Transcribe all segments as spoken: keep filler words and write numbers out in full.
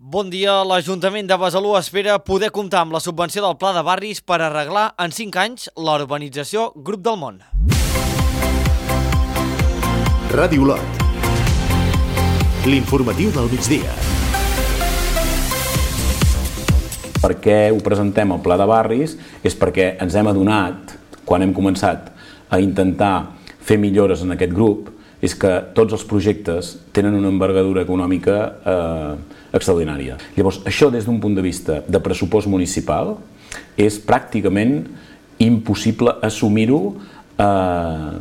Bon dia. L'Ajuntament de Besalú espera poder comptar amb la subvenció del Pla de Barris per arreglar en cinc anys la urbanització Grup del Món. Ràdio Olot. L'informatiu del migdia. Per què ho presentem al Pla de Barris? És perquè ens hem adonat, quan hem començat a intentar fer millores en aquest grup, és que tots els projectes tenen una envergadura econòmica eh, extraordinària. Llavors, això des d'un punt de vista de pressupost municipal és pràcticament impossible assumir-ho eh,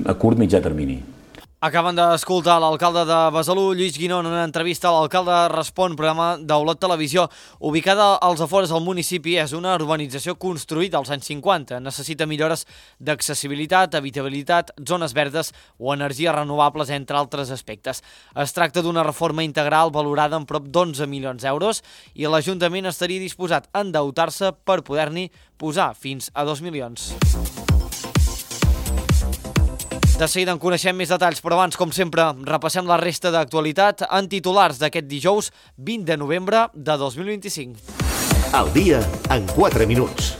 a curt mitjà termini. Acaben d'escoltar l'alcalde de Besalú, Lluís Guinó, en una entrevista. L'alcalde respon, programa d'Olot Televisió. Ubicada als afores del municipi, és una urbanització construïda als anys cinquanta. Necessita millores d'accessibilitat, habitabilitat, zones verdes o energies renovables, entre altres aspectes. Es tracta d'una reforma integral valorada en prop d'onze milions d'euros i l'Ajuntament estaria disposat a endeutar-se per poder-n'hi posar fins a dos milions. De seguida en coneixem més detalls, però abans, com sempre, repassem la resta d'actualitat en titulars d'aquest dijous vint de novembre de dos mil vint-i-cinc. Al dia en quatre minuts.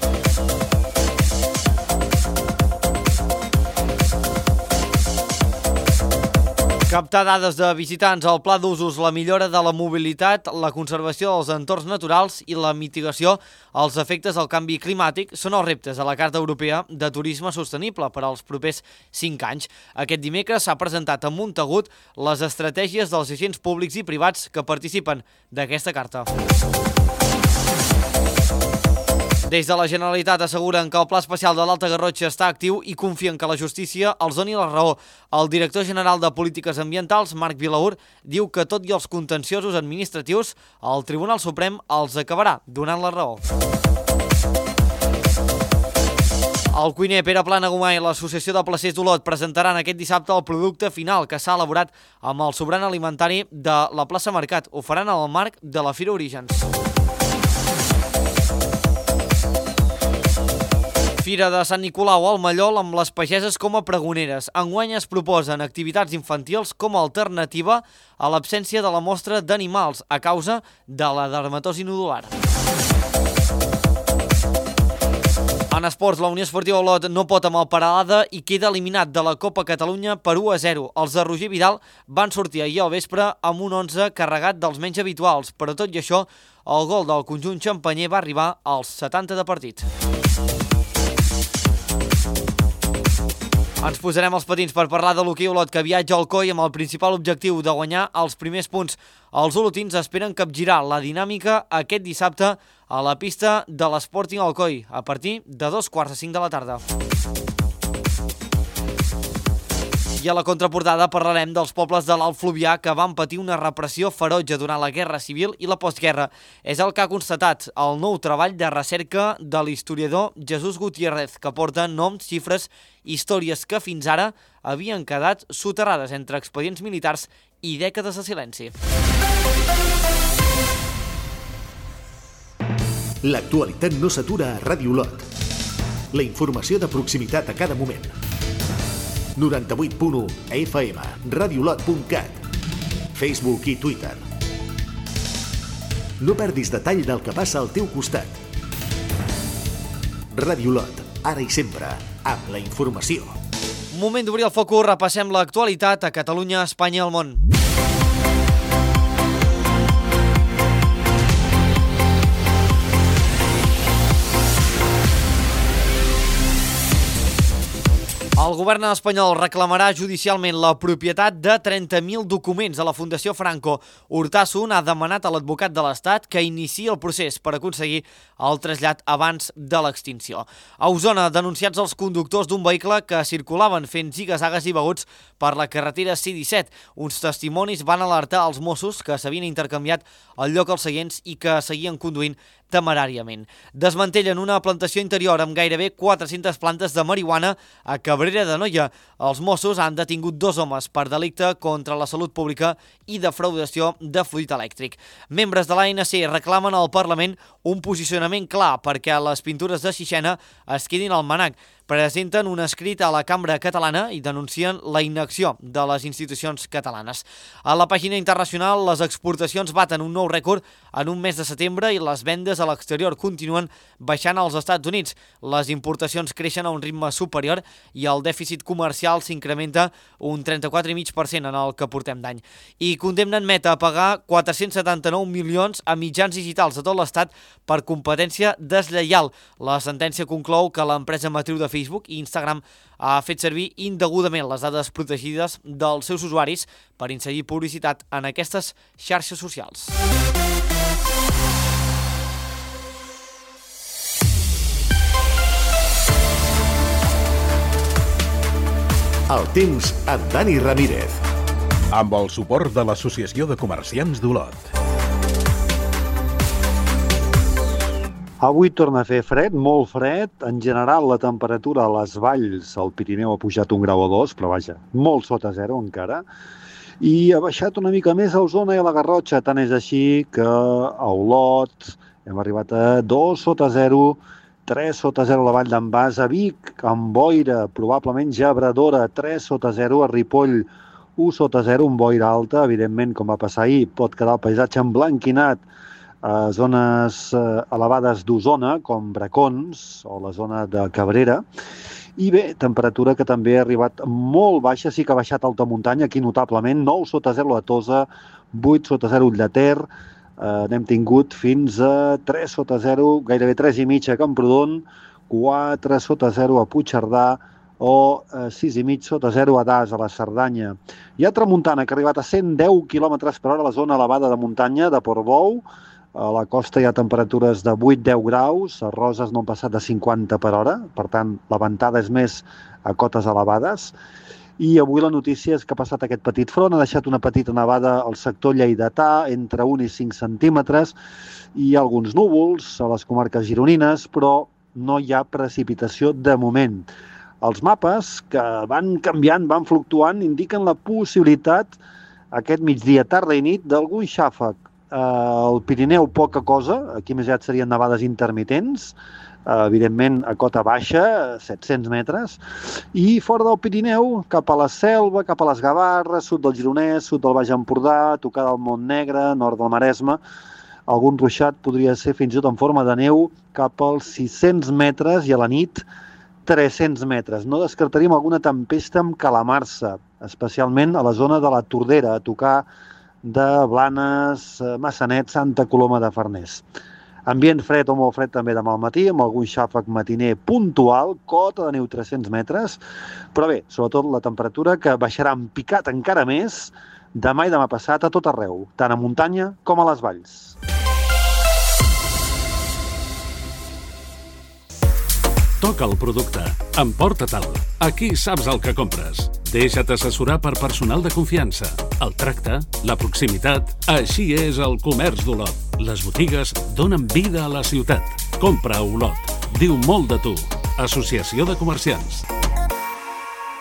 Captar dades de visitants, el pla d'usos, la millora de la mobilitat, la conservació dels entorns naturals i la mitigació als efectes del canvi climàtic són els reptes a la Carta Europea de Turisme Sostenible per als propers cinc anys. Aquest dimecres s'ha presentat a Montagut les estratègies dels agents públics i privats que participen d'aquesta carta. Des de la Generalitat asseguren que el Pla Especial de l'Alta Garrotxa està actiu i confien que la justícia els doni la raó. El director general de Polítiques Ambientals, Marc Vilaur, diu que tot i els contenciosos administratius, el Tribunal Suprem els acabarà donant la raó. El cuiner Pere Planagumà i l'Associació de Placers d'Olot presentaran aquest dissabte el producte final que s'ha elaborat amb el sobrant alimentari de la plaça Mercat. Ho faran al marc de la Fira Orígens. Fira de Sant Nicolau al Mallol amb les pageses com a pregoneres. Enguany es proposen activitats infantils com a alternativa a l'absència de la mostra d'animals a causa de la dermatosi nodular. En esports, la Unió Esportiva Olot no pot amb el Peralada i queda eliminat de la Copa Catalunya per u a zero. Els de Roger Vidal van sortir ahir al vespre amb un onze carregat dels menys habituals, però tot i això, el gol del conjunt xampanyer va arribar als setanta de partit. Ens posarem els patins per parlar de l'hoquei Olot, que viatja al Coi amb el principal objectiu de guanyar els primers punts. Els olotins esperen capgirar la dinàmica aquest dissabte a la pista de l'Sporting Alcoi a partir de dos quarts de cinc de la tarda. I a la contraportada parlarem dels pobles de l'Alt Fluvià que van patir una repressió ferotge durant la Guerra Civil i la postguerra. És el que ha constatat el nou treball de recerca de l'historiador Jesús Gutiérrez, que porta noms, xifres, històries que fins ara havien quedat soterrades entre expedients militars i dècades de silenci. L'actualitat no s'atura a Ràdio Olot. La informació de proximitat a cada moment. noranta-vuit punt u F M, radiolot punt cat, Facebook i Twitter. No perdis detall del que passa al teu costat. Ràdio Olot, ara i sempre, amb la informació. Moment d'obrir el focus, repassem l'actualitat a Catalunya, Espanya i el món. El govern espanyol reclamarà judicialment la propietat de trenta mil documents de la Fundació Franco. Urtasun ha demanat a l'advocat de l'Estat que iniciï el procés per aconseguir el trasllat abans de l'extinció. A Osona, denunciats els conductors d'un vehicle que circulaven fent ziga-zagues i beguts per la carretera C disset. Uns testimonis van alertar als Mossos que s'havien intercanviat el lloc als seients i que seguien conduint temeràriament. Desmantellen una plantació interior amb gairebé quatre-centes plantes de marihuana a Cabrera d'Anoia. Els Mossos han detingut dos homes per delicte contra la salut pública i defraudació de fluid elèctric. Membres de l'A N C reclamen al Parlament un posicionament clar perquè les pintures de Sixena es quedin al MNAC. presenten un escrit a la Cambra Catalana i denuncien la inacció de les institucions catalanes. A la pàgina internacional, les exportacions baten un nou rècord en un mes de setembre i les vendes a l'exterior continuen baixant als Estats Units. Les importacions creixen a un ritme superior i el dèficit comercial s'incrementa un trenta-quatre coma cinc per cent en el que portem d'any. I condemnen Meta a pagar quatre-cents setanta-nou milions a mitjans digitals de tot l'Estat per competència deslleial. La sentència conclou que l'empresa matriu de Facebook i Instagram ha fet servir indegudament les dades protegides dels seus usuaris per inserir publicitat en aquestes xarxes socials. El temps amb Dani Ramírez. Amb el suport de l'Associació de Comerciants d'Olot. Avui torna a fer fred, molt fred. En general, la temperatura a les valls, al Pirineu, ha pujat un grau o dos, però vaja, molt sota zero encara. I ha baixat una mica més a Osona i a la Garrotxa. Tant és així que a Olot hem arribat a dos sota zero, tres sota zero a la vall d'en Bas, a Vic, amb boira, probablement gebradora, tres sota zero, a Ripoll, u sota zero, un boira alta, evidentment, com va passar ahir, pot quedar el paisatge emblanquinat a zones elevades d'Osona, com Bracons o la zona de Cabrera. I bé, temperatura que també ha arribat molt baixa, sí que ha baixat alta muntanya, aquí notablement, nou sota zero a Tosa, vuit sota zero a Ter, eh, n'hem tingut fins a tres sota zero, gairebé tres i mitja a Camprodon, quatre sota zero a Puigcerdà o eh, sis i mig sota zero a Das, a la Cerdanya. Hi ha tramuntana que ha arribat a cent deu quilòmetres per hora a la zona elevada de muntanya de Portbou. A la costa hi ha temperatures de vuit a deu graus, a Roses no han passat de cinquanta per hora, per tant, la ventada és més a cotes elevades. I avui la notícia és que ha passat aquest petit front, ha deixat una petita nevada al sector lleidatà, entre un i cinc centímetres, i alguns núvols a les comarques gironines, però no hi ha precipitació de moment. Els mapes, que van canviant, van fluctuant, indiquen la possibilitat, aquest migdia, tarda i nit, d'algun xàfec. Al Pirineu poca cosa, aquí més aviat serien nevades intermitents, evidentment a cota baixa, set-cents metres, i fora del Pirineu, cap a la Selva, cap a les Gavarres, sud del Gironès, sud del Baix Empordà, tocada al Montnegre, nord del Maresme, algun ruixat podria ser fins i tot en forma de neu cap als sis-cents metres i a la nit tres-cents metres. No descartaríem alguna tempesta amb calamarsa, especialment a la zona de la Tordera, a tocar de Blanes, Massanet, Santa Coloma de Farners. Ambient fred o molt fred també demà al matí, amb algun xàfec matiner puntual, cota de neu tres-cents metres, però bé, sobretot la temperatura que baixarà en picat encara més demà i demà passat a tot arreu, tant a muntanya com a les valls. Toca el producte, emporta-te'l. Aquí saps el que compres. Deixa't assessorar per personal de confiança. El tracte, la proximitat, així és el comerç d'Olot. Les botigues donen vida a la ciutat. Compra a Olot. Diu molt de tu. Associació de Comerciants.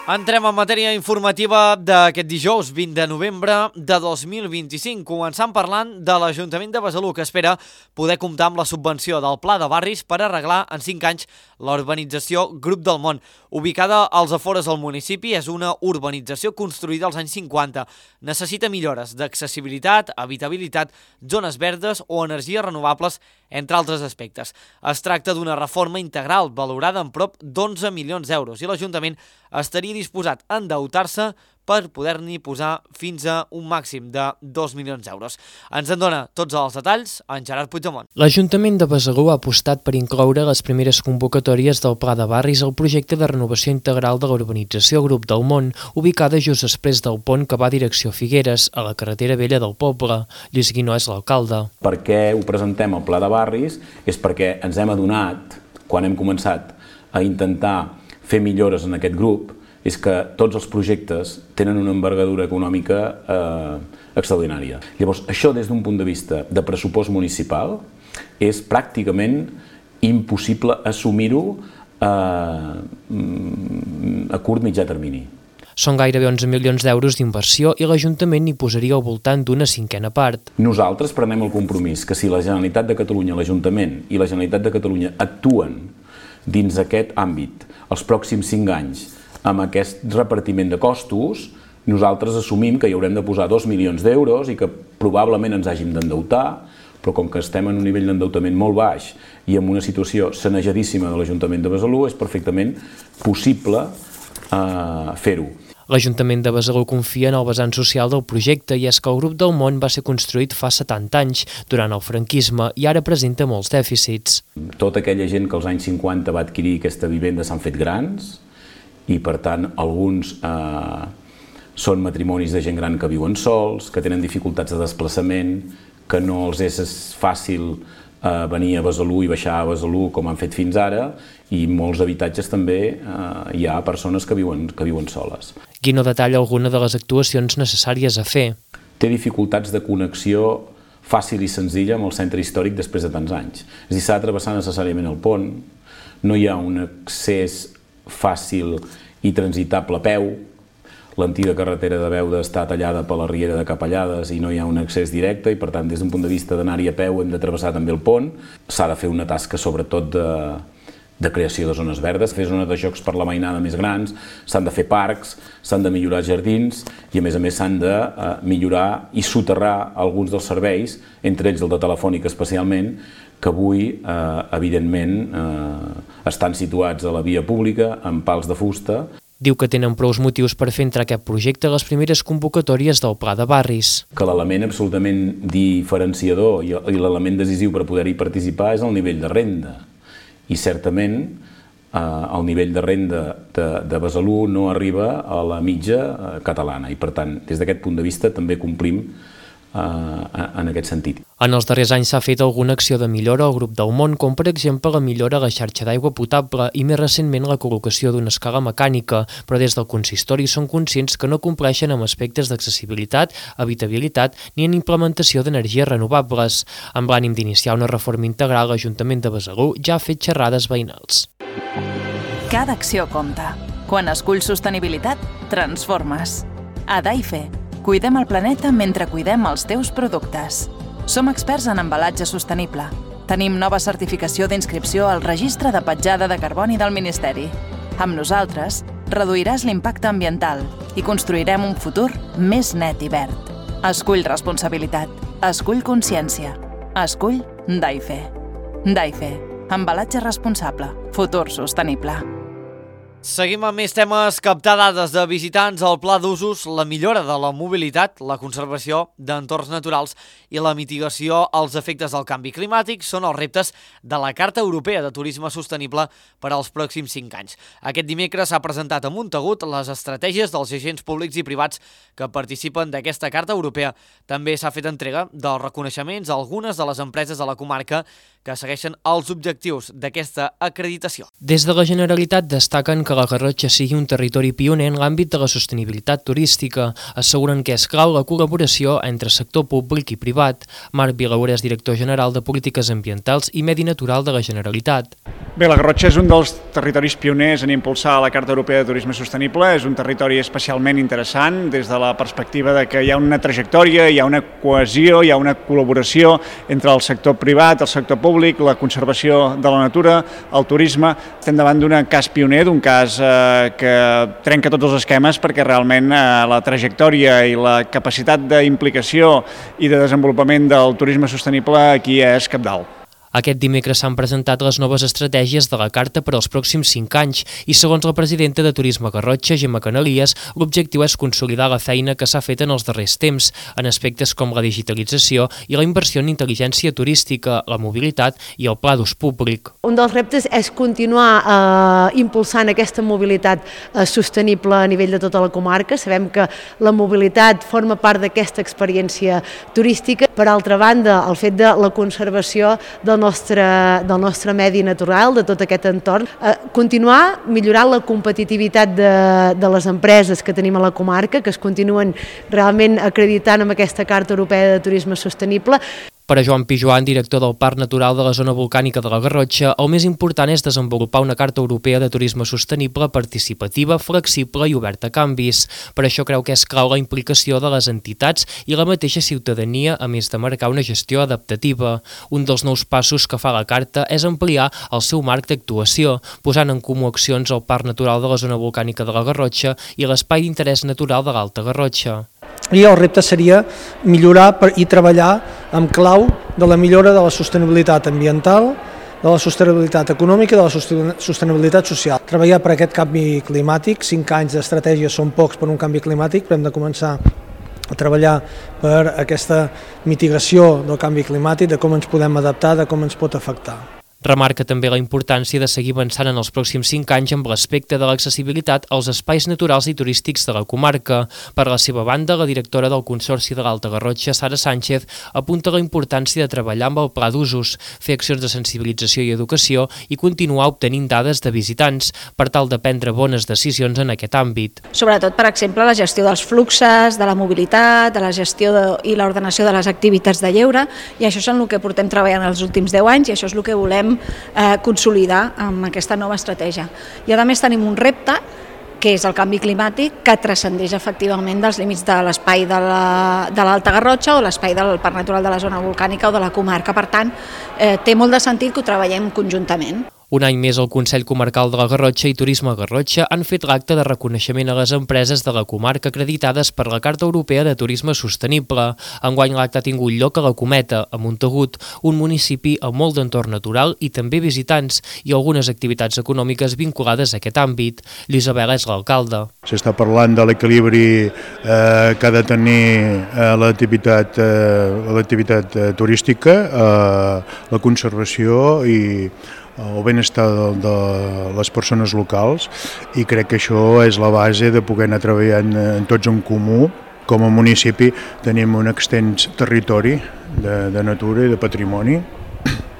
Entrem en matèria informativa d'aquest dijous vint de novembre de dos mil vint-i-cinc, començant parlant de l'Ajuntament de Besalú, que espera poder comptar amb la subvenció del Pla de Barris per arreglar en cinc anys la urbanització Grup del Món. Ubicada als afores del municipi, és una urbanització construïda als anys cinquanta. Necessita millores d'accessibilitat, habitabilitat, zones verdes o energies renovables, entre altres aspectes. Es tracta d'una reforma integral valorada en prop d'onze milions d'euros i l'Ajuntament estaria disposat a endeutar-se per poder-n'hi posar fins a un màxim de dos milions d'euros. Ens en dona tots els detalls en Gerard Puigdemont. L'Ajuntament de Besalú ha apostat per incloure les primeres convocatòries del Pla de Barris al projecte de renovació integral de l'urbanització Grup del Món, ubicada just després del pont que va a direcció Figueres, a la carretera vella del poble. Lluís Guinó és l'alcalde. Per què ho presentem al Pla de Barris? És perquè ens hem adonat, quan hem començat a intentar fer millores en aquest grup, és que tots els projectes tenen una envergadura econòmica eh, extraordinària. Llavors, això des d'un punt de vista de pressupost municipal és pràcticament impossible assumir-ho eh, a curt mitjà termini. Són gairebé onze milions d'euros d'inversió i l'Ajuntament hi posaria al voltant d'una cinquena part. Nosaltres prenem el compromís que si la Generalitat de Catalunya, l'Ajuntament i la Generalitat de Catalunya actuen dins aquest àmbit els pròxims cinc anys amb aquest repartiment de costos, nosaltres assumim que hi haurem de posar dos milions d'euros i que probablement ens hàgim d'endeutar, però com que estem en un nivell d'endeutament molt baix i en una situació sanejadíssima de l'Ajuntament de Besalú, és perfectament possible eh, fer-ho. L'Ajuntament de Besalú confia en el vessant social del projecte i és que el Grup del Món va ser construït fa setanta anys, durant el franquisme, i ara presenta molts dèficits. Tota aquella gent que als anys cinquanta va adquirir aquesta vivenda s'han fet grans i, per tant, alguns eh, són matrimonis de gent gran que viuen sols, que tenen dificultats de desplaçament, que no els és fàcil eh, venir a Besalú i baixar a Besalú com han fet fins ara, i molts habitatges també eh, hi ha persones que viuen, que viuen soles. Guino detalla alguna de les actuacions necessàries a fer. Té dificultats de connexió fàcil i senzilla amb el centre històric després de tants anys. És a dir, s'ha de travessar necessàriament el pont, no hi ha un accés fàcil i transitable a peu, l'antiga carretera de Beuda està tallada per la riera de Capellades i no hi ha un accés directe i, per tant, des d'un punt de vista d'anar-hi a peu hem de travessar també el pont. S'ha de fer una tasca sobretot de, de creació de zones verdes, fer zones de jocs per la mainada més grans, s'han de fer parcs, s'han de millorar jardins i, a més a més, s'han de eh, millorar i soterrar alguns dels serveis, entre ells el de Telefònica especialment, que avui, eh, evidentment, eh, estan situats a la via pública amb pals de fusta. Diu que tenen prous motius per fer entrar aquest projecte a les primeres convocatòries del Pla de Barris. Que l'element absolutament diferenciador i l'element decisiu per poder-hi participar és el nivell de renda. I certament eh, el nivell de renda de, de Besalú no arriba a la mitja eh, catalana i, per tant, des d'aquest punt de vista també complim en aquest sentit. En els darrers anys s'ha fet alguna acció de millora al Grup del Món, com per exemple la millora a la xarxa d'aigua potable i més recentment la col·locació d'una escala mecànica, però des del consistori són conscients que no compleixen amb aspectes d'accessibilitat, habitabilitat ni en implementació d'energies renovables. Amb l'ànim d'iniciar una reforma integral, l'Ajuntament de Besalú ja ha fet xerrades veïnals. Cada acció compta. Quan esculls sostenibilitat, transformes. A Daife, cuidem el planeta mentre cuidem els teus productes. Som experts en embalatge sostenible. Tenim nova certificació d'inscripció al Registre de Petjada de Carboni del Ministeri. Amb nosaltres, reduiràs l'impacte ambiental i construirem un futur més net i verd. Escull responsabilitat. Escull consciència. Escull Daife. Daife. Embalatge responsable. Futur sostenible. Seguim amb més temes, captar dades de visitants, el pla d'usos, la millora de la mobilitat, la conservació d'entorns naturals i la mitigació als efectes del canvi climàtic són els reptes de la Carta Europea de Turisme Sostenible per als pròxims cinc anys. Aquest dimecres s'ha presentat a Montagut les estratègies dels agents públics i privats que participen d'aquesta Carta Europea. També s'ha fet entrega dels reconeixements a algunes de les empreses de la comarca que segueixen els objectius d'aquesta acreditació. Des de la Generalitat destaquen que la Garrotxa sigui un territori pioner en l'àmbit de la sostenibilitat turística. Asseguren que és clau la col·laboració entre sector públic i privat. Marc Vilaura és director general de Polítiques Ambientals i Medi Natural de la Generalitat. Bé, la Garrotxa és un dels territoris pioners en impulsar la Carta Europea de Turisme Sostenible. És un territori especialment interessant des de la perspectiva de que hi ha una trajectòria, hi ha una cohesió, hi ha una col·laboració entre el sector privat, el sector públic, la conservació de la natura, el turisme. Estem davant d'un cas pioner, d'un cas eh, que trenca tots els esquemes perquè realment eh, la trajectòria i la capacitat d'implicació i de desenvolupament del turisme sostenible aquí és cabdal. Aquest dimecres s'han presentat les noves estratègies de la Carta per als pròxims cinc anys i, segons la presidenta de Turisme Garrotxa, Gemma Canalies, l'objectiu és consolidar la feina que s'ha fet en els darrers temps, en aspectes com la digitalització i la inversió en intel·ligència turística, la mobilitat i el pla d'ús públic. Un dels reptes és continuar eh, impulsant aquesta mobilitat eh, sostenible a nivell de tota la comarca. Sabem que la mobilitat forma part d'aquesta experiència turística. Per altra banda, el fet de la conservació del nostre, del nostre medi natural, de tot aquest entorn, eh, continuar millorant la competitivitat de, de les empreses que tenim a la comarca, que es continuen realment acreditant amb aquesta Carta Europea de Turisme Sostenible. Per a Joan Pijoan, director del Parc Natural de la Zona Volcànica de la Garrotxa, el més important és desenvolupar una Carta Europea de Turisme Sostenible, participativa, flexible i oberta a canvis. Per això creu que és clau la implicació de les entitats i la mateixa ciutadania, a més de marcar una gestió adaptativa. Un dels nous passos que fa la Carta és ampliar el seu marc d'actuació, posant en comú accions al Parc Natural de la Zona Volcànica de la Garrotxa i l'Espai d'Interès Natural de l'Alta Garrotxa. I el repte seria millorar i treballar amb clau de la millora de la sostenibilitat ambiental, de la sostenibilitat econòmica i de la sostenibilitat social. Treballar per aquest canvi climàtic, cinc anys d'estratègia són pocs per un canvi climàtic, però hem de començar a treballar per aquesta mitigació del canvi climàtic, de com ens podem adaptar, de com ens pot afectar. Remarca també la importància de seguir avançant en els pròxims cinc anys amb l'aspecte de l'accessibilitat als espais naturals i turístics de la comarca. Per la seva banda, la directora del Consorci de l'Alta Garrotxa, Sara Sánchez, apunta la importància de treballar amb el pla d'usos, fer accions de sensibilització i educació i continuar obtenint dades de visitants per tal de prendre bones decisions en aquest àmbit. Sobretot, per exemple, la gestió dels fluxes, de la mobilitat, de la gestió de, i l'ordenació de les activitats de lleure, i això és en el que portem treballant els últims deu anys i això és el que volem Eh, consolidar amb aquesta nova estratègia. I a més tenim un repte que és el canvi climàtic, que transcendeix efectivament dels límits de l'espai de l'Alta Garrotxa o l'espai del Parc Natural de la Zona Volcànica o de la comarca. Per tant, eh, té molt de sentit que ho treballem conjuntament. Un any més, el Consell Comarcal de la Garrotxa i Turisme Garrotxa han fet l'acte de reconeixement a les empreses de la comarca acreditades per la Carta Europea de Turisme Sostenible. Enguany l'acte ha tingut lloc a la Cometa, a Montagut, un municipi amb molt d'entorn natural i també visitants i algunes activitats econòmiques vinculades a aquest àmbit. Lluís Abela és l'alcalde. S'està parlant de l'equilibri eh, que ha de tenir eh, l'activitat eh, l'activitat eh, turística, eh, la conservació i el benestar de, de les persones locals, i crec que això és la base de poder anar treballant en tots en comú. Com a municipi tenim un extens territori de, de natura i de patrimoni.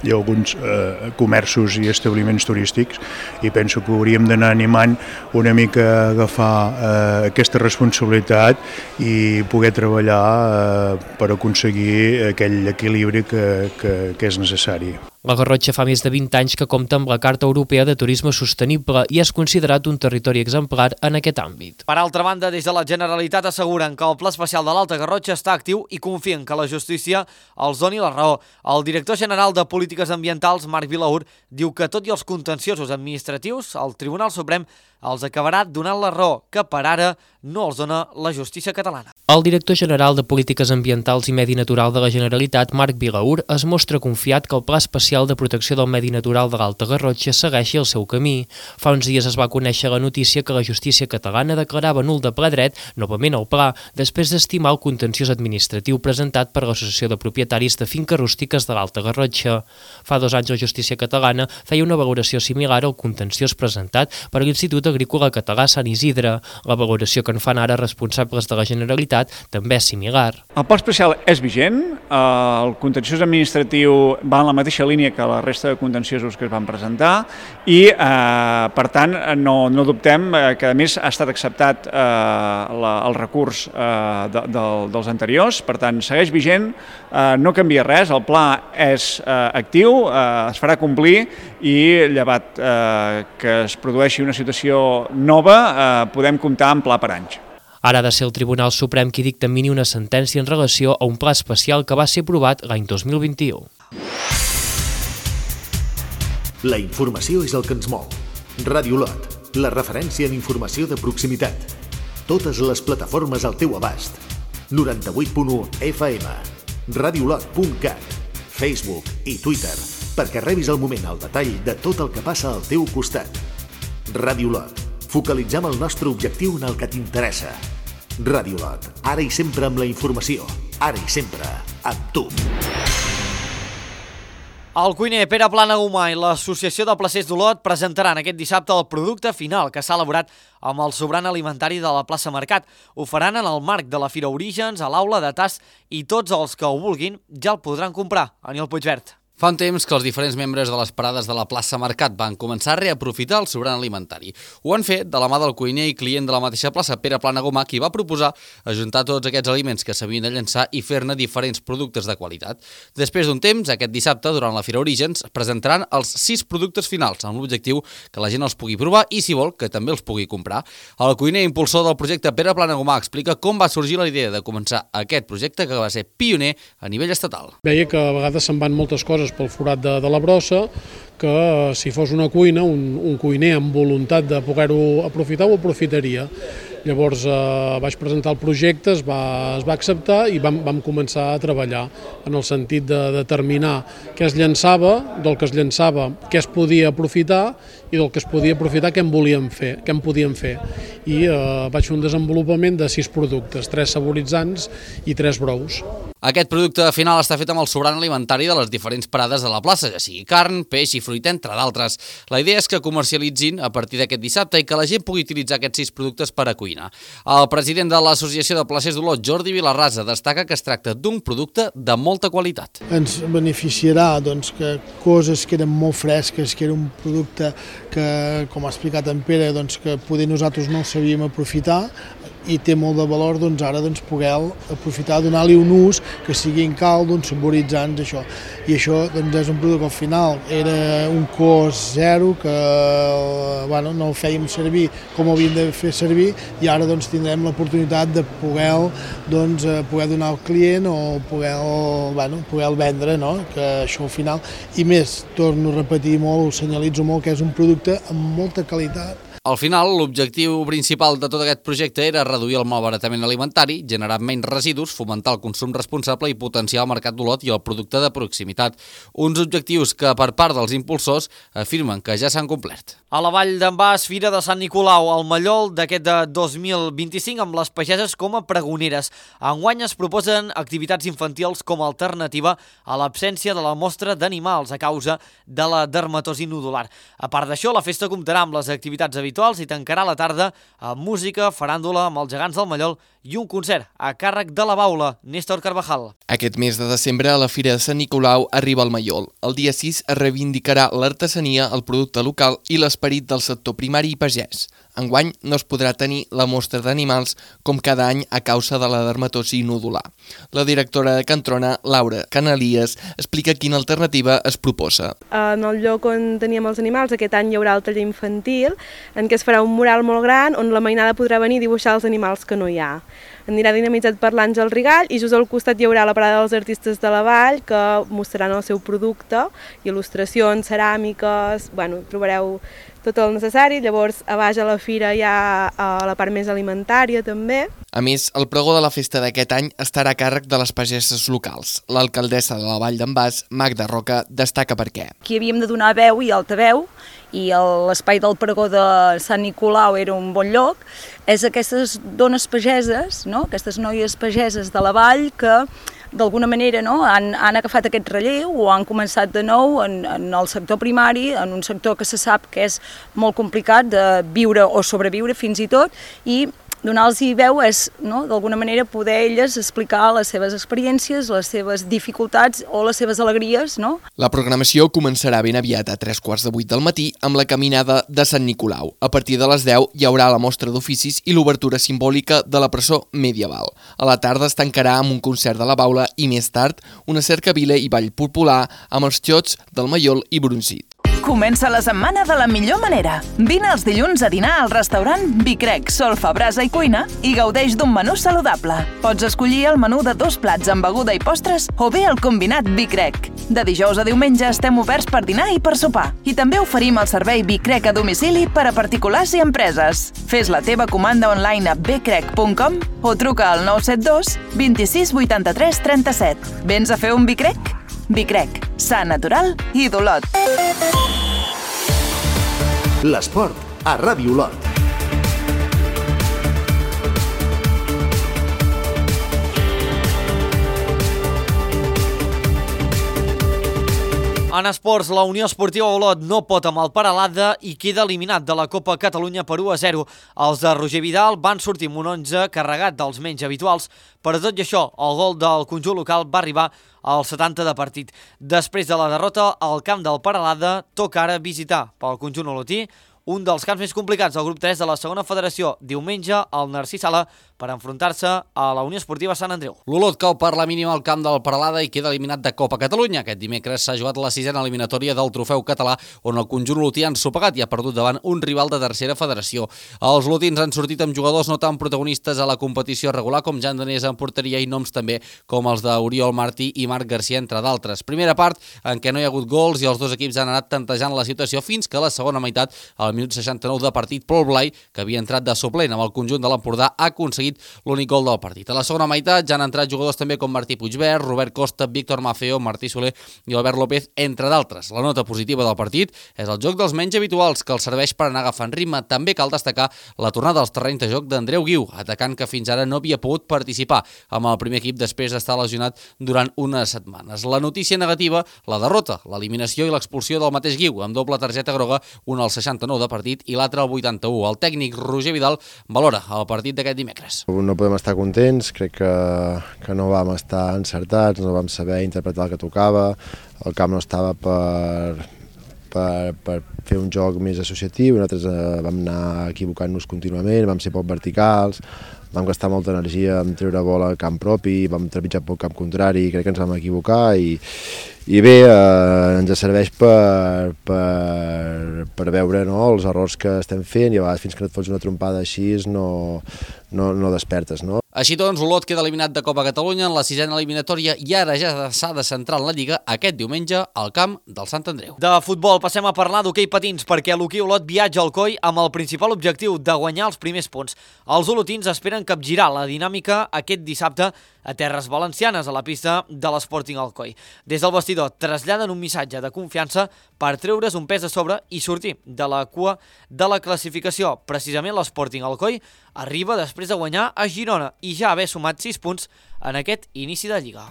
Hi ha alguns eh, comerços i establiments turístics i penso que hauríem d'anar animant una mica a agafar eh, aquesta responsabilitat i poder treballar eh, per aconseguir aquell equilibri que, que, que és necessari. La Garrotxa fa més de vint anys que compta amb la Carta Europea de Turisme Sostenible i és considerat un territori exemplar en aquest àmbit. Per altra banda, des de la Generalitat asseguren que el Pla Especial de l'Alta Garrotxa està actiu i confien que la justícia els doni la raó. El director general de Polítiques Ambientals, Marc Vilaur, diu que tot i els contenciosos administratius, el Tribunal Suprem els acabarà donant la raó, que per ara no els dona la justícia catalana. El director general de Polítiques Ambientals i Medi Natural de la Generalitat, Marc Vilaur, es mostra confiat que el Pla Especial de Protecció del Medi Natural de l'Alta Garrotxa segueixi el seu camí. Fa uns dies es va conèixer la notícia que la justícia catalana declarava nul de ple dret novament el pla, després d'estimar el contenciós administratiu presentat per l'Associació de Propietaris de Finques Rústiques de l'Alta Garrotxa. Fa dos anys la justícia catalana feia una valoració similar al contenciós presentat per l'Institut Agrícola Català Sant Isidre. La valoració que en fan ara responsables de la Generalitat també és similar. El pla especial és vigent, el contenciós administratiu va en la mateixa línia que la resta de contenciosos que es van presentar i, eh, per tant, no, no dubtem que, a més, ha estat acceptat eh, la, el recurs eh, de, de, dels anteriors, per tant, segueix vigent, eh, no canvia res, el pla és eh, actiu, eh, es farà complir i, llevat eh, que es produeixi una situació nova, eh, podem comptar amb pla per anys. Ara ha de ser el Tribunal Suprem qui dictamini una sentència en relació a un pla especial que va ser aprovat l'any dos mil vint-i-u. La informació és el que ens mou. Ràdio Lot, la referència en informació de proximitat. Totes les plataformes al teu abast. noranta-vuit punt u F M, radiolot punt cat, Facebook i Twitter, perquè rebis al moment el detall de tot el que passa al teu costat. Ràdio Lot, focalitzem el nostre objectiu en el que t'interessa. Ràdio Lot, ara i sempre amb la informació, ara i sempre amb tu. El cuiner Pere Planagumà i l'Associació de Placers d'Olot presentaran aquest dissabte el producte final que s'ha elaborat amb el sobrant alimentari de la plaça Mercat. Ho faran en el marc de la Fira Orígens, a l'aula de Tas, i tots els que ho vulguin ja el podran comprar. Aniol Puigvert. Fa un temps que els diferents membres de les parades de la plaça Mercat van començar a reaprofitar el sobrant alimentari. Ho han fet de la mà del cuiner i client de la mateixa plaça, Pere Planagumà, qui va proposar ajuntar tots aquests aliments que s'havien de llençar i fer-ne diferents productes de qualitat. Després d'un temps, aquest dissabte, durant la Fira Orígens, presentaran els sis productes finals, amb l'objectiu que la gent els pugui provar i, si vol, que també els pugui comprar. El cuiner impulsor del projecte, Pere Planagumà, explica com va sorgir la idea de començar aquest projecte que va ser pioner a nivell estatal. Veia que a vegades se'n van moltes coses pel forat de, de la brossa, que si fos una cuina, un, un cuiner amb voluntat de poder-ho aprofitar, ho aprofitaria. Llavors eh, vaig presentar el projecte, es va, es va acceptar i vam, vam començar a treballar en el sentit de determinar què es llançava, del que es llançava, què es podia aprofitar i del que es podia aprofitar què en volíem fer, què en podíem fer. I eh, vaig fer un desenvolupament de sis productes, tres saboritzants i tres brous. Aquest producte final està fet amb el sobrant alimentari de les diferents parades de la plaça, ja sigui carn, peix i fruita, entre d'altres. La idea és que comercialitzin a partir d'aquest dissabte i que la gent pugui utilitzar aquests sis productes per a cuinar. El president de l'Associació de Placers d'Olot, Jordi Vilarrasa, destaca que es tracta d'un producte de molta qualitat. Ens beneficiarà doncs, que coses que eren molt fresques, que era un producte que, com ha explicat en Pere, doncs, que poder nosaltres no el sabíem aprofitar i té molt de valor doncs, ara doncs, poder aprofitar, donar-li un ús que sigui en cald, uns saboritzants, això. I això doncs, és un producte que al final era un cost zero, que bueno, no el fèiem servir com havíem de fer servir i ara doncs, tindrem l'oportunitat de poder, doncs, poder donar al client o poder, bueno, poder vendre, no? Que això al final, i més, torno a repetir molt, ho senyalitzo molt, que és un producte amb molta qualitat. Al final, l'objectiu principal de tot aquest projecte era reduir el malbaratament alimentari, generar menys residus, fomentar el consum responsable i potenciar el mercat d'Olot i el producte de proximitat. Uns objectius que, per part dels impulsors, afirmen que ja s'han complert. A la Vall d'en Bas, Fira de Sant Nicolau, al Mallol d'aquest de dos mil vint-i-cinc amb les pageses com a pregoneres. Enguany es proposen activitats infantils com a alternativa a l'absència de la mostra d'animals a causa de la dermatosi nodular. A part d'això, la festa comptarà amb les activitats habituals i tancarà la tarda amb música, faràndula amb els gegants del Mallol i un concert a càrrec de la Baula, Néstor Carvajal. Aquest mes de desembre a la Fira de Sant Nicolau arriba el Mallol. El dia sis es reivindicarà l'artesania, el producte local i l'esperit del sector primari i pagès. Enguany no es podrà tenir la mostra d'animals com cada any a causa de la dermatosi nodular. La directora de Cantrona, Laura Canalies, explica quina alternativa es proposa. En el lloc on teníem els animals, aquest any hi haurà el taller infantil, en què es farà un mural molt gran on la mainada podrà venir a dibuixar els animals que no hi ha. Anirà dinamitzat per l'Àngel Rigall i just al costat hi haurà la parada dels artistes de la Vall que mostraran el seu producte, il·lustracions, ceràmiques, bueno, trobareu tot el necessari. Llavors a baix a la fira hi ha la part més alimentària també. A més, el pregó de la festa d'aquest any estarà a càrrec de les pageses locals. L'alcaldessa de la Vall d'en Bas, Magda Roca, destaca per què. Aquí havíem de donar veu i altaveu, i l'espai del pregó de Sant Nicolau era un bon lloc. És aquestes dones pageses, no? Aquestes noies pageses de la Vall que d'alguna manera no? han, han agafat aquest relleu o han començat de nou en, en el sector primari, en un sector que se sap que és molt complicat de viure o sobreviure fins i tot, i donar-los veu és, no, d'alguna manera, poder elles explicar les seves experiències, les seves dificultats o les seves alegries, no? La programació començarà ben aviat a tres quarts de vuit del matí amb la caminada de Sant Nicolau. A partir de les deu hi haurà la mostra d'oficis i l'obertura simbòlica de la presó medieval. A la tarda es tancarà amb un concert de la Baula i més tard una cercavila i ball popular amb els xots del Mallol i Brunzit. Comença la setmana de la millor manera. Vine els dilluns a dinar al restaurant Bicrec, Solfa, Brasa i Cuina i gaudeix d'un menú saludable. Pots escollir el menú de dos plats amb beguda i postres o bé el combinat Bicrec. De dijous a diumenge estem oberts per dinar i per sopar. I també oferim el servei Bicrec a domicili per a particulars i empreses. Fes la teva comanda online a bicrec punt com o truca al nou set dos vint-i-sis vuitanta-tres trenta-set. Vens a fer un Bicrec? Bicrec, sa natural i d'Olot. L'esport a Ràdio Olot. En esports, la Unió Esportiva Olot no pot amb el Peralada i queda eliminat de la Copa Catalunya per u a zero. Els de Roger Vidal van sortir amb un onze carregat dels menys habituals, però tot i això, el gol del conjunt local va arribar al setanta de partit. Després de la derrota, al camp del Peralada toca ara visitar pel conjunt olotí un dels camps més complicats del grup tres de la segona federació, diumenge al Narcís Sala, per enfrontar-se a la Unió Esportiva Sant Andreu. L'Olot cau per la mínima al camp del Peralada i queda eliminat de Copa Catalunya. Aquest dimecres s'ha jugat la sisena eliminatòria del trofeu català, on el conjunt olotí ha ensopegat i ha perdut davant un rival de tercera federació. Els olotins han sortit amb jugadors no tan protagonistes a la competició regular, com Jan Danés en porteria i noms també com els d'Oriol Martí i Marc Garcia, entre d'altres. Primera part en què no hi ha hagut gols i els dos equips han anat tantejant la situació fins que a la segona meitat, al minut seixanta-nou de partit, Pol Blai, que havia entrat de suplent amb el conjunt de l'Empordà, ha aconseguit l'únic gol del partit. A la segona meitat ja han entrat jugadors també com Martí Puigvert, Robert Costa, Víctor Mafeo, Martí Soler i Albert López, entre d'altres. La nota positiva del partit és el joc dels menys habituals, que els serveix per anar agafant ritme. També cal destacar la tornada als terrenys de joc d'Andreu Guiu, atacant que fins ara no havia pogut participar amb el primer equip després d'estar lesionat durant unes setmanes. La notícia negativa, la derrota, l'eliminació i l'expulsió del mateix Guiu, amb doble targeta groga, un al seixanta-nou de partit i l'altre al vuitanta-u. El tècnic Roger Vidal valora el partit d'aquest dimecres. No podem estar contents, crec que, que no vam estar encertats, no vam saber interpretar el que tocava, el camp no estava per, per, per fer un joc més associatiu, nosaltres eh, vam anar equivocant-nos contínuament, vam ser poc verticals, vam gastar molta energia en treure bola al camp propi, vam trepitjar poc camp contrari, crec que ens vam equivocar i, i bé, eh, ens serveix per, per, per veure, no, els errors que estem fent i a vegades fins que no et fots una trompada així no, no, no despertes, no? Així doncs, Olot queda eliminat de Copa Catalunya en la sisena eliminatòria i ara ja s'ha de centrar en la Lliga aquest diumenge al camp del Sant Andreu. De futbol passem a parlar d'hoquei patins, perquè l'hoquei Olot viatja al Coi amb el principal objectiu de guanyar els primers punts. Els olotins esperen capgirar la dinàmica aquest dissabte a terres valencianes, a la pista de l'Sporting Alcoi. Des del vestidor traslladen un missatge de confiança per treure's un pes a sobre i sortir de la cua de la classificació. Precisament l'Sporting Alcoi arriba després de guanyar a Girona i ja haver sumat sis punts en aquest inici de Lliga.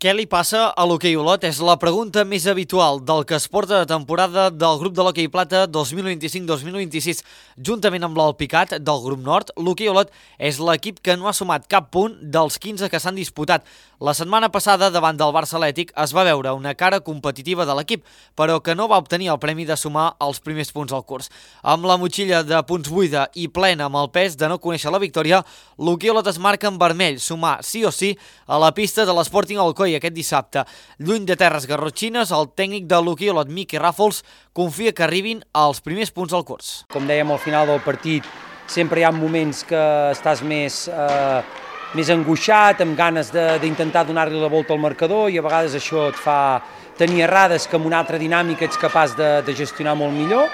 Què li passa a l'hoquei Olot? És la pregunta més habitual del que es porta de temporada del grup de l'hoquei plata dos mil vint-i-cinc dos mil vint-i-sis. Juntament amb l'Alpicat del grup nord, l'hoquei Olot és l'equip que no ha sumat cap punt dels quinze que s'han disputat. La setmana passada, davant del Barça Atlètic, es va veure una cara competitiva de l'equip, però que no va obtenir el premi de sumar els primers punts al curs. Amb la motxilla de punts buida i plena amb el pes de no conèixer la victòria, l'hoquei Olot es marca en vermell, sumar sí o sí a la pista de l'Sporting Alcoi aquest dissabte. Lluny de terres garrotxines, el tècnic de l'hoquei Olot, Miqui Ràfols, confia que arribin als primers punts al curs. Com dèiem al final del partit, sempre hi ha moments que estàs més, eh, més angoixat, amb ganes d'intentar donar-li la volta al marcador i a vegades això et fa tenir errades que amb una altra dinàmica ets capaç de, de gestionar molt millor.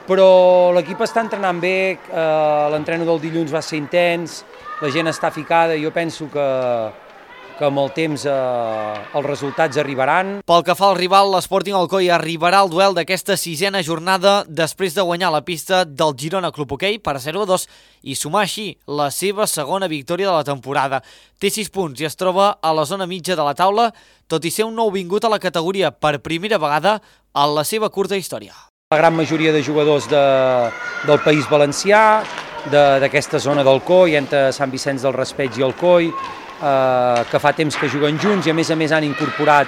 Però l'equip està entrenant bé, eh, l'entreno del dilluns va ser intens, la gent està ficada i jo penso que que amb el temps eh, els resultats arribaran. Pel que fa al rival, l'Sporting Alcoi arribarà al duel d'aquesta sisena jornada després de guanyar la pista del Girona Club Hoquei per zero a dos i sumar així la seva segona victòria de la temporada. Té sis punts i es troba a la zona mitja de la taula, tot i ser un nou vingut a la categoria per primera vegada en la seva curta història. La gran majoria de jugadors de, del País Valencià, d'aquesta zona del Coi, entre Sant Vicenç del Raspeig i el Coi, Eh, que fa temps que juguen junts i a més a més han incorporat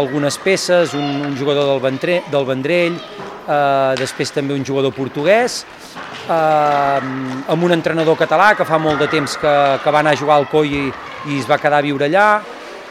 algunes peces, un, un jugador del, Ventre, del Vendrell, eh, després també un jugador portuguès, eh, amb un entrenador català que fa molt de temps que, que va anar a jugar al Coi i, i es va quedar a viure allà,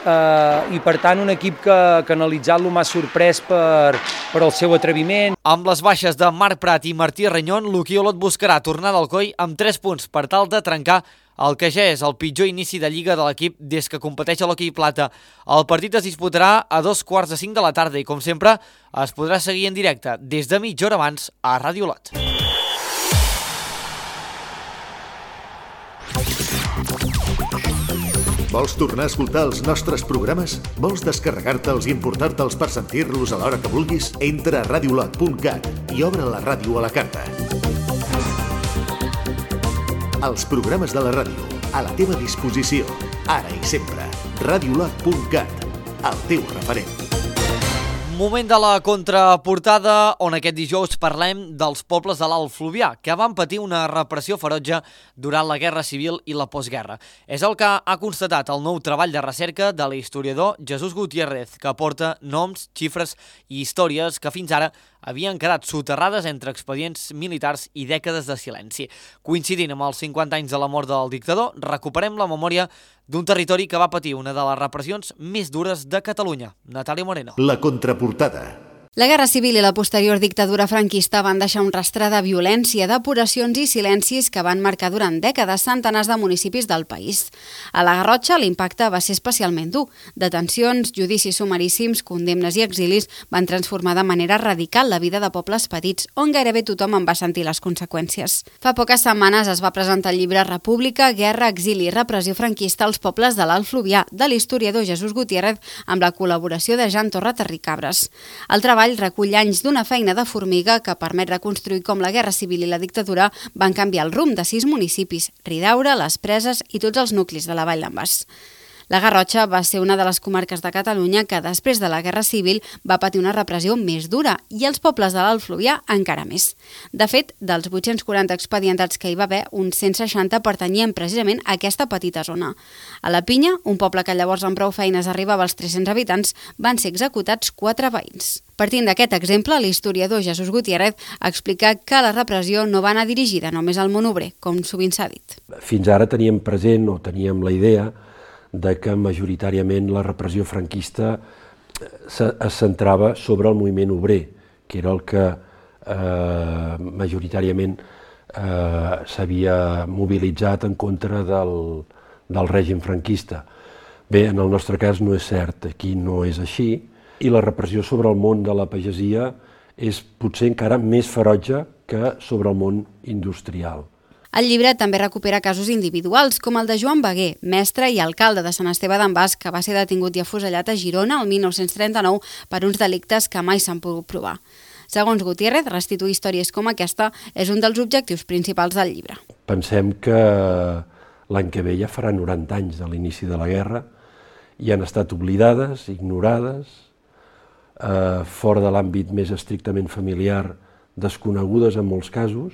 eh, i per tant un equip que, que analitzant-lo m'ha sorprès per, per el seu atreviment. Amb les baixes de Marc Prat i Martí Renyon, l'hoquei Olot buscarà tornar del Coi amb tres punts per tal de trencar el que ja és el pitjor inici de Lliga de l'equip des que competeix a l'hoquei plata. El partit es disputarà a dos quarts de cinc de la tarda i, com sempre, es podrà seguir en directe des de mitja hora abans a Ràdio Olot. Vols tornar a escoltar els nostres programes? Vols descarregar-te'ls i importar-te'ls per sentir-los a l'hora que vulguis? Entra a radiolot punt cat i obre la ràdio a la carta. Els programes de la ràdio, a la teva disposició, ara i sempre. radiolot punt cat, el teu referent. Moment de la contraportada, on aquest dijous parlem dels pobles de l'Alt Fluvià, que van patir una repressió ferotge durant la Guerra Civil i la postguerra. És el que ha constatat el nou treball de recerca de l'historiador Jesús Gutiérrez, que aporta noms, xifres i històries que fins ara havien quedat soterrades entre expedients militars i dècades de silenci. Coincidint amb els cinquanta anys de la mort del dictador, recuperem la memòria d'un territori que va patir una de les repressions més dures de Catalunya. Natàlia Moreno. La contraportada. La Guerra Civil i la posterior dictadura franquista van deixar un rastre de violència, depuracions i silencis que van marcar durant dècades centenars de municipis del país. A la Garrotxa l'impacte va ser especialment dur. Detencions, judicis sumaríssims, condemnes i exilis van transformar de manera radical la vida de pobles petits, on gairebé tothom en va sentir les conseqüències. Fa poques setmanes es va presentar el llibre República, Guerra, Exili i Repressió franquista als pobles de l'Alt Fluvià, de l'historiador Jesús Gutiérrez, amb la col·laboració de Jan Torra Terricabres. El treball recull anys d'una feina de formiga que permet reconstruir com la Guerra Civil i la dictadura van canviar el rumb de sis municipis, Ridaura, Les Preses i tots els nuclis de la Vall d'en Bas. La Garrotxa va ser una de les comarques de Catalunya que després de la Guerra Civil va patir una repressió més dura i els pobles de l'Alt Fluvià encara més. De fet, dels vuit-cents quaranta expedientats que hi va haver, uns cent seixanta pertanyien precisament a aquesta petita zona. A la Pinya, un poble que llavors amb prou feines arribava als tres-cents habitants, van ser executats quatre veïns. Partint d'aquest exemple, l'historiador Jesús Gutiérrez explica que la repressió no va anar dirigida només al món obrer, com sovint s'ha dit. Fins ara teníem present o teníem la idea de que majoritàriament la repressió franquista es centrava sobre el moviment obrer, que era el que eh, majoritàriament eh, s'havia mobilitzat en contra del, del règim franquista. Bé, en el nostre cas no és cert, aquí no és així, i la repressió sobre el món de la pagesia és potser encara més ferotge que sobre el món industrial. El llibre també recupera casos individuals, com el de Joan Beguer, mestre i alcalde de Sant Esteve d'en Bas, que va ser detingut i afusellat a Girona el mil nou-cents trenta-nou per uns delictes que mai s'han pogut provar. Segons Gutiérrez, restituir històries com aquesta és un dels objectius principals del llibre. Pensem que l'any que ve ja farà noranta anys de l'inici de la guerra i han estat oblidades, ignorades, eh, fora de l'àmbit més estrictament familiar, desconegudes en molts casos,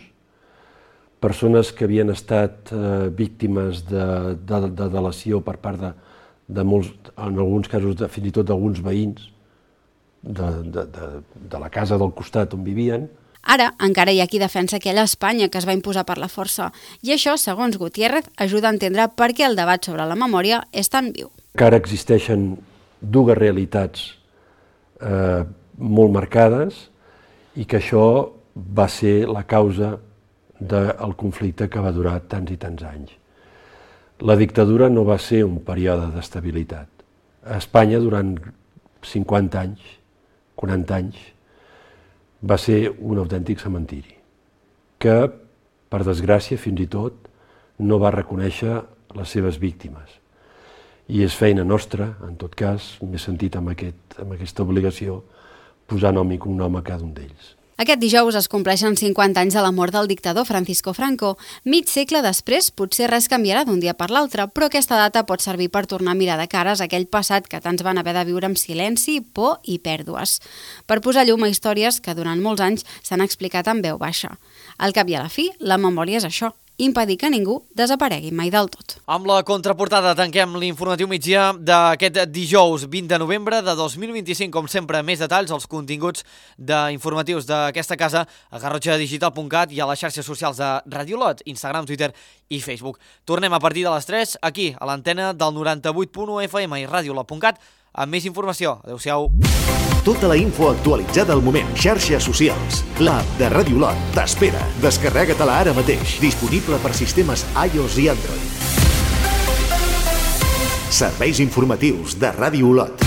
persones que havien estat eh, víctimes de, de, de delació per part de, de molts, en alguns casos de, fins i tot d'alguns veïns de, de, de, de la casa del costat on vivien. Ara encara hi ha qui defensa aquella Espanya que es va imposar per la força i això, segons Gutiérrez, ajuda a entendre per què el debat sobre la memòria és tan viu. Que ara existeixen dues realitats eh, molt marcades i que això va ser la causa del conflicte que va durar tants i tants anys. La dictadura no va ser un període d'estabilitat. A Espanya, durant cinquanta anys, quaranta anys, va ser un autèntic cementiri, que, per desgràcia, fins i tot, no va reconèixer les seves víctimes. I és feina nostra, en tot cas, m'he sentit amb, aquest, amb aquesta obligació, posar nom i cognom a cada un d'ells. Aquest dijous es compleixen cinquanta anys de la mort del dictador Francisco Franco. Mig segle després, potser res canviarà d'un dia per l'altre, però aquesta data pot servir per tornar a mirar de cares aquell passat que tants van haver de viure amb silenci, por i pèrdues. Per posar llum a històries que durant molts anys s'han explicat en veu baixa. Al cap i a la fi, la memòria és això, impedir que ningú desaparegui mai del tot. Amb la contraportada tanquem l'informatiu migdia d'aquest dijous vint de novembre de dos mil vint-i-cinc. Com sempre, més detalls als continguts d'informatius d'aquesta casa a garrotxa digital punt cat i a les xarxes socials de Radio Lot, Instagram, Twitter i Facebook. Tornem a partir de les tres aquí a l'antena del noranta-vuit punt u F M i radiolot punt cat amb més informació. Adéu-siau. Tota la info actualitzada al moment. Xarxes socials. L'app de Radio Lot t'espera. Descarrega-te-la ara mateix. Disponible per sistemes iOS i Android. Serveis informatius de Radio Lot.